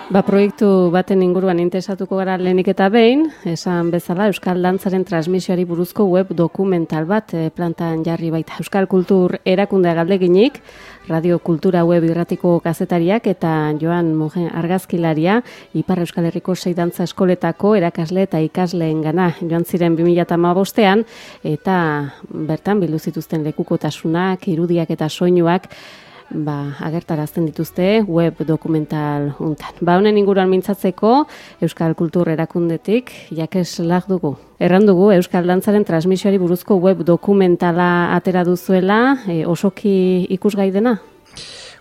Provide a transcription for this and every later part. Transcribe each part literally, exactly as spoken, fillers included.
Ba, proiektu baten inguruan interesatuko gara lehenik eta behin, esan bezala Euskal Dantzaren transmisioari buruzko web dokumental bat e, plantan jarri baita. Euskal Kultur erakundea galdeginik, Radio Kultura web irratiko kazetariak eta Joan Mugen argazkilaria, Ipar Euskal Herriko sei dantza eskoletako erakasle eta ikasleen gana joan ziren bi mila hamabostean, eta bertan bildu zituzten lekukotasunak, irudiak eta soinuak, ba, agertarazten dituzte web dokumental untan. Ba, honen inguruan mintzatzeko Euskal Kultur erakundetik Jakes Lag dugu. Erran dugu Euskal Dantzaren transmisioari buruzko web dokumentala atera duzuela, e, osoki ikusgai dena?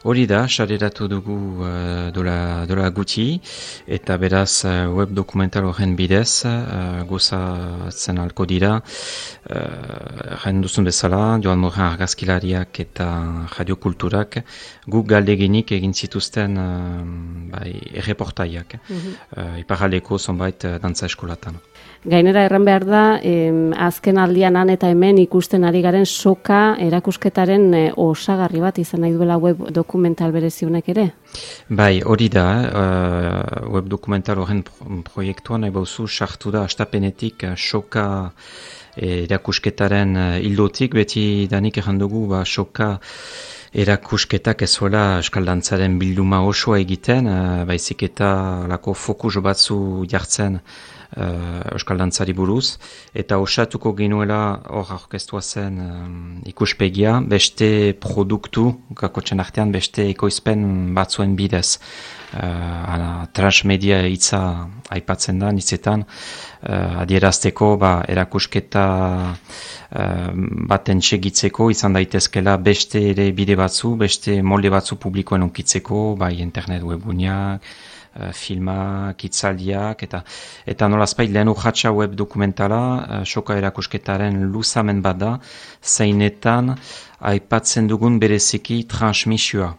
Hori da, sareratu dugu uh, dola, dola guti, eta beraz uh, web dokumental horren bidez, uh, gozatzen alko dira, erren uh, duzun bezala, Joan Mugen argazkilariak eta Radio Kulturak, guk galdeginik egin zituzten uh, bai, erreportaiak, mm-hmm. uh, iparraldeko zonbait uh, dantza eskolatan. Gainera erran behar da, em, azken aldian han eta hemen ikusten ari garen soka erakusketaren e, osagarri bat izan nahi duela web dokumental bereziunek ere? Bai, hori da, uh, web dokumental horren proiektuan, nahi bauzu, sartu da astapenetik uh, soka erakusketaren uh, hildotik, beti danik erran dugu, ba, soka erakusketak ez zuela Euskal Dantzaren bilduma osoa egiten, uh, baizik eta lako fokus batzu jartzen Uh, Euskal Dantzari buruz, eta osatuko ginuela hor aurkeztua zen um, ikuspegia, beste produktu, kakotzen artean beste ekoizpen batzuen bidez. Uh, transmedia hitza aipatzen da, hitzetan, uh, adierazteko ba, erakusketa uh, baten segitzeko, izan daitezkela beste ere bide batzu, beste molde batzu publikoen onkitzeko, bai internet webguneak, filmak, hitzaldiak, eta eta nolazpait lehen urratsa web dokumentala, uh, soka erakusketaren luzamen bat da, zeinetan aipatzen dugun bereziki transmisioa.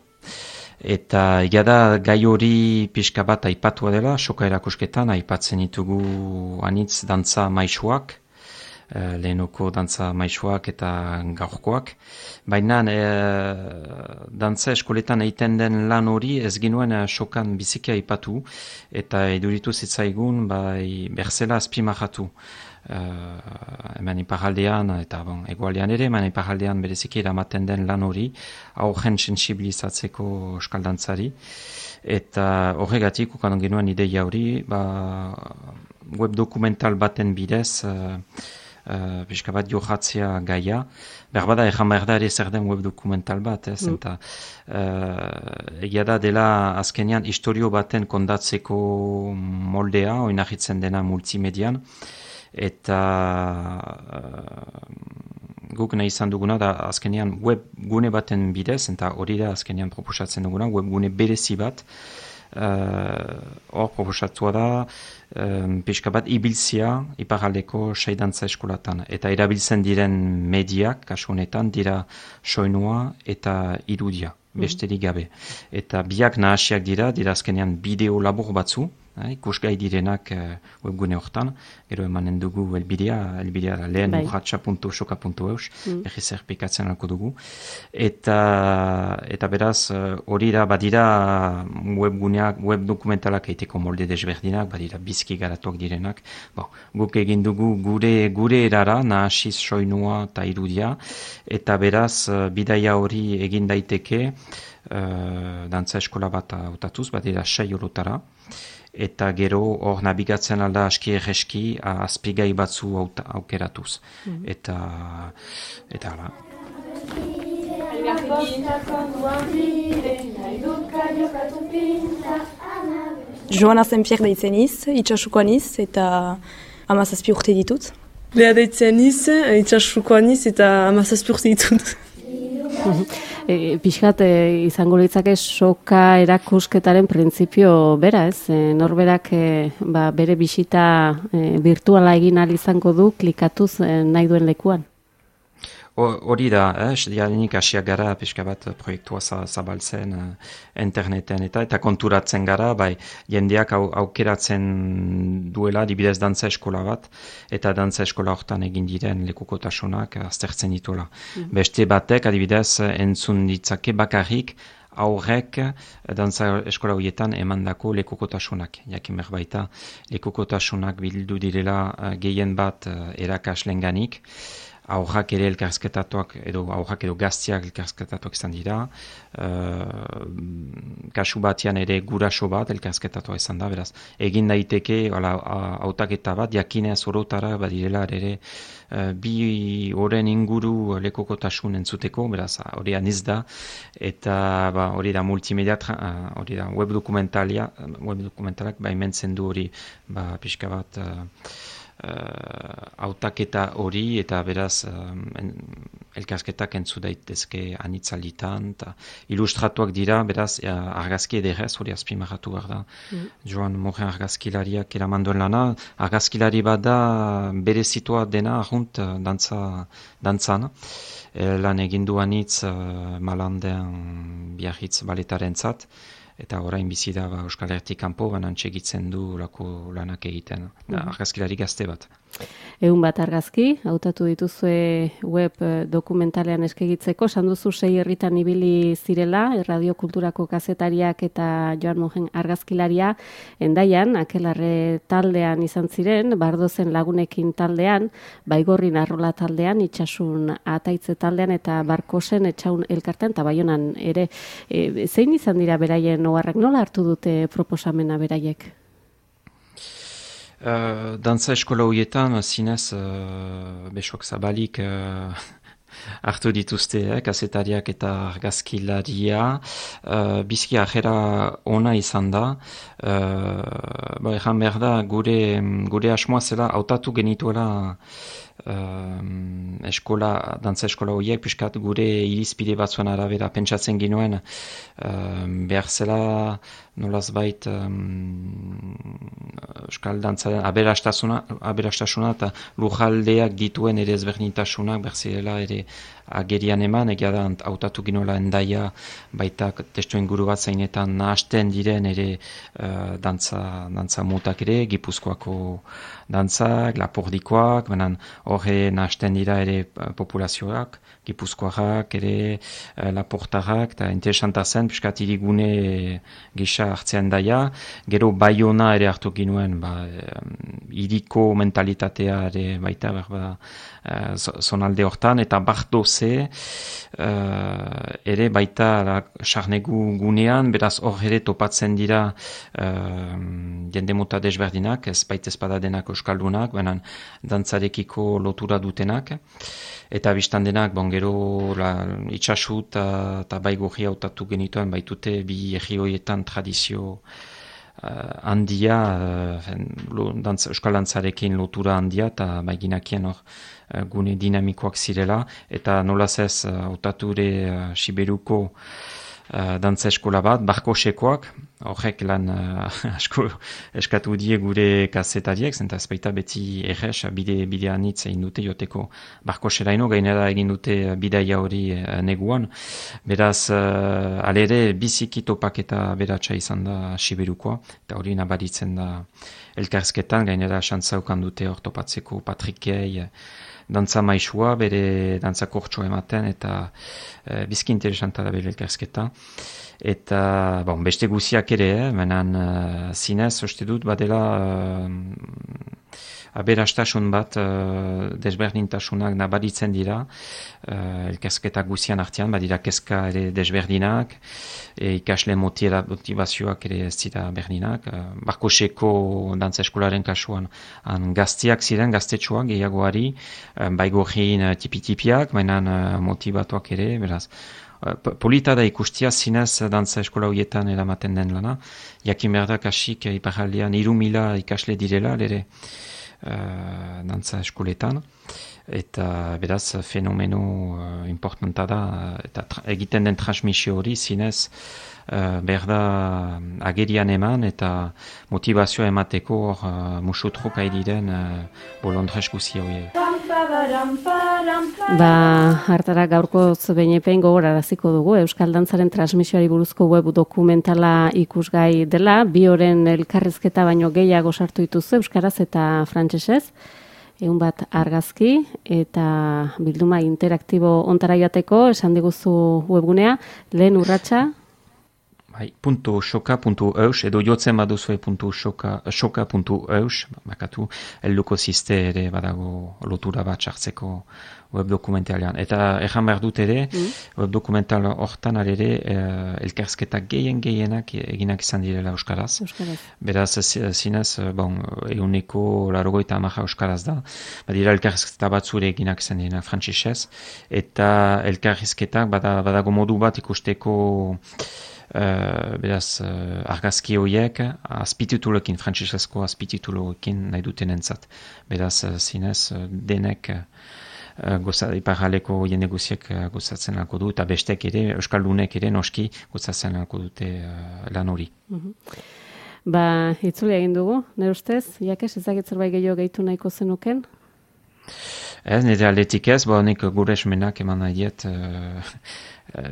Eta egada gai hori pixka bat aipatua dela, soka erakusketan aipatzen ditugu anitz dantza maisuak, Uh, lehenoko dantza maisuak eta gaurkoak. Baina e, dantza eskoletan egiten den lan hori ez ginuen uh, sokan bizikia aipatu eta eduritu zitzaigun bai, berzela azpimahatu. Uh, hemen iparaldean eta bon, egoaldean ere, hemen iparaldean bereziki eramaten den lan hori aurren sensibilizatzeko euskal dantzari. Eta horregatik ukan genuen ideia hori, ba, web dokumental baten bidez uh, Uh, pixka bat johatzea gaia. Berbada egan behar da ere zer den web dokumental bat, ez? Mm. Eta uh, egia da dela azkenean historio baten kondatzeko moldea, oinahitzen dena multimedian, eta uh, guk nahi izan duguna da azkenean web gune baten bidez, eta hori da azkenean proposatzen duguna, web gune berezi bat, hor uh, proposatua da um, pixka bat ibiltzia iparraldeko sei dantza eskolatan. Eta erabiltzen diren mediak, kasu honetan, dira soinua eta irudia, besterik gabe. Eta biak nahasiak dira, dira azkenean bideo labur batzu, eh, ikusgai direnak uh, webgune hortan, gero emanen dugu elbidea, elbidea lehen urratsa puntu soka puntu eus, mm. erri zerpikatzen alko dugu. Eta, eta beraz, hori uh, da, badira webguneak, web dokumentalak eiteko molde desberdinak, badira bizki garatuak direnak. Bon, guk egin dugu gure, gure erara, nahasiz soinua eta irudia, eta beraz, uh, bidaia hori egin daiteke, uh, dantza eskola bat hautatuz, badira sei orotara, eta gero hor nabigatzen alda aski erreski azpigai batzu aukeratuz. Mm-hmm. Eta, eta ala. Joana Zenpier deitzen iz, itxasukoan iz, eta hamazazpi urte ditut. Lea deitzen iz, itxasukoan iz, eta hamazazpi urte ditut. E, Pixkat e, izango litzake soka erakusketaren printzipio bera, ez? E, norberak e, ba, bere bisita e, virtuala egin ahal izango du klikatuz e, nahi duen lekuan. Hori da, eh, diarenik hasiak gara pixka bat proiektua zabaltzen uh, interneten eta eta konturatzen gara, bai jendeak au, aukeratzen duela dibidez dantza eskola bat, eta dantza eskola hortan egin diren lekukotasunak aztertzen dituela. Mm. Beste batek adibidez entzun ditzake bakarrik aurrek dantza eskola horietan emandako lekukotasunak. Jakin behar baita, lekukotasunak bildu direla gehien bat erakaslenganik, aurrak ere elkarrizketatuak, edo aurrak edo gaztiak elkarrizketatuak izan dira, uh, kasu batean ere guraso bat elkarrizketatua izan da, beraz, egin daiteke, hautaketa bat, jakinez orotara badirela ere uh, bi oren inguru lekukotasun entzuteko, beraz, hori aniz da, eta ba, hori da multimedia, uh, hori da web dokumentalia, web dokumentalak baimentzen du hori, ba, pixka bat, uh, hautaketa uh, hori eta beraz um, elkarsketak entzu daitezke anitzalitan eta ilustratuak dira, beraz uh, argazki ederrez, hori azpimarratu behar da. Mm. Joan Moren argazkilariak eramandoen lana, argazkilari bat da berezitua dena ahunt uh, dantza, dantzan. E, lan egindu anitz uh, Malandean Biarritz baletaren zat, eta orain bizi da ba, Euskal Herritik kanpo banan txegitzen du lako lanak egiten. Da, argazkilari gazte bat. Egun bat argazki, hautatu dituzue web dokumentalean eskegitzeko, sanduzu sei herritan ibili zirela, Radio Kulturako kazetariak eta Joan Mojen argazkilaria, Endaian, Akelarre taldean izan ziren, Bardozen lagunekin taldean, Baigorrin Arrola taldean, Itxasun Ataitze taldean eta Barkosen Etxaun elkartean, eta Baionan ere. E, zein izan dira beraien oharrak, nola hartu dute proposamena beraiek? Uh, dantza eskola horietan, zinez, uh, besoak zabalik uh, hartu dituzte, eh, kazetariak eta argazkilaria. Uh, bizki ajera ona izan da. Uh, ba, erran behar da, gure, gure asmoa zela, hautatu genituela Uh, eskola, dantza eskola horiek, piskat gure irizpide batzuen arabera pentsatzen ginoen, uh, behar zela nolaz bait um, euskal dantzaren aberastasuna, aberastasuna eta lujaldeak dituen ere ezberdintasunak behar zirela ere agerian eman, egia da hautatu ginoela Endaia baita testu inguru bat zeinetan nahasten diren ere uh, dantza, dantza mutak ere, Gipuzkoako dantzak, Lapordikoak, benan horre nahasten dira ere populazioak, Gipuzkoarrak ere uh, Laportarrak, eta interesanta zen, piskat irigune gisa hartzean daia, gero Baiona ere hartu ginuen, ba, iriko mentalitatea ere baita, berba, uh, zonalde hortan, eta Bardoze uh, ere baita sarnegu gunean, beraz hor ere topatzen dira uh, jende mota desberdinak, ez baita espada denak euskaldunak, benan dantzarekiko lotura dutenak, eta biztan denak, bon, gero la, itxasu eta Baigorri hautatu genituen, baitute bi erri horietan tradizio Uh, handia, uh, lo, dantz, euskal dantzarekin lotura handia, eta baiginakien hor uh, gune dinamikoak zirela, eta nolaz ez hautature uh, Siberuko uh, dantza eskola bat, Barkosekoak, horrek lan uh, asko eskatu die gure kazetariek, zenta ez baita beti errez, bide, bide anitz egin dute joteko Barkoseraino, gainera egin dute bidaia hori uh, neguan, beraz, uh, alere biziki topaketa beratxa izan da Siberukoa, eta hori nabaritzen da elkarzketan, gainera xantzaukan dute hor topatzeko Patrikei, dantza maisua, bere dantza kortxo ematen, eta e, bizki interesanta da bere elkarzketa. Eta, bon, beste guziak ere, eh, menan uh, zinez, uste dut, badela uh, aberastasun bat, uh, desberdintasunak nabaritzen dira, uh, elkarzketa guzian artean, badira kezka ere desberdinak, e, ikasle motiera, motivazioak ere ez dira berdinak. Uh, Barkoseko dantza eskolaren kasuan han gaztiak ziren, gaztetxoak gehiagoari, uh, Baigorrin uh, tipi-tipiak, menan uh, motivatuak ere, beraz, polita da ikustia zinez dantza eskola horietan eramaten den lana. Jakin behar da kasik iparaldean hiru mila ikasle direla ere uh, dantza eskoletan. Eta beraz fenomeno uh, importanta da, eta egiten den transmisio hori zinez uh, behar da agerian eman eta motivazioa emateko hor uh, musutrok aidiren uh, bolondrez guzi hori. Ba, hartara gaurko behinepein gogoraraziko dugu, Euskal Dantzaren transmisioari buruzko web dokumentala ikusgai dela, bi oren elkarrizketa baino gehiago sartu dituzu euskaraz eta frantsesez, egun bat argazki eta bilduma interaktibo ontara joateko, esan diguzu webgunea, lehen urratsa. Bai, punto soka punto eus, edo jotzen baduzue punto soka punto eus, bakatu, helduko ziste ere badago lotura bat sartzeko web dokumentalean. Eta erran behar dut ere, mm. web dokumental hortan ere eh, elkarzketak gehien gehienak eginak izan direla euskaraz. Euskaraz. Beraz, zinez, bon, eguneko larogoita amaja euskaraz da. Badira elkarzketa batzure eginak izan direla frantsesez, eta elkarzketak bada, badago modu bat ikusteko Uh, beraz, uh, argazki horiek azpitituloekin, frantsesezko azpitituloekin nahi duten entzat. Beraz, uh, zinez, uh, denek uh, goza, iparraleko jende guziek uh, gozatzen alko du, eta bestek ere, euskaldunek ere noski gozatzen alko dute uh, lan hori. Mm-hmm. Ba, itzuli egin dugu, nire ustez, jakes, ezagit zerbait gehiago gehitu nahiko zenuken? Ez, nire aldetik ez, bo nik gure esmenak eman nahi diet, uh,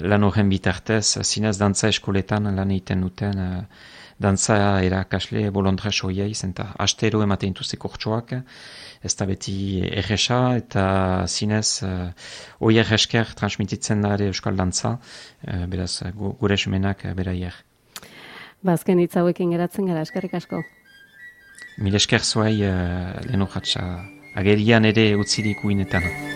lan horren bitartez, zinez dantza eskoletan lan egiten duten, uh, dantza erakasle bolondres hoiei, zenta astero ematen dituzte kortxoak, ez da beti erresa, eta zinez uh, hoi erresker transmititzen da ere euskal dantza, uh, beraz gure esmenak uh, beraier. Bazken hitz hauekin geratzen gara, eskerrik asko. Mil esker zuai uh, lehen urratxa agerian ere utzirik uinetan.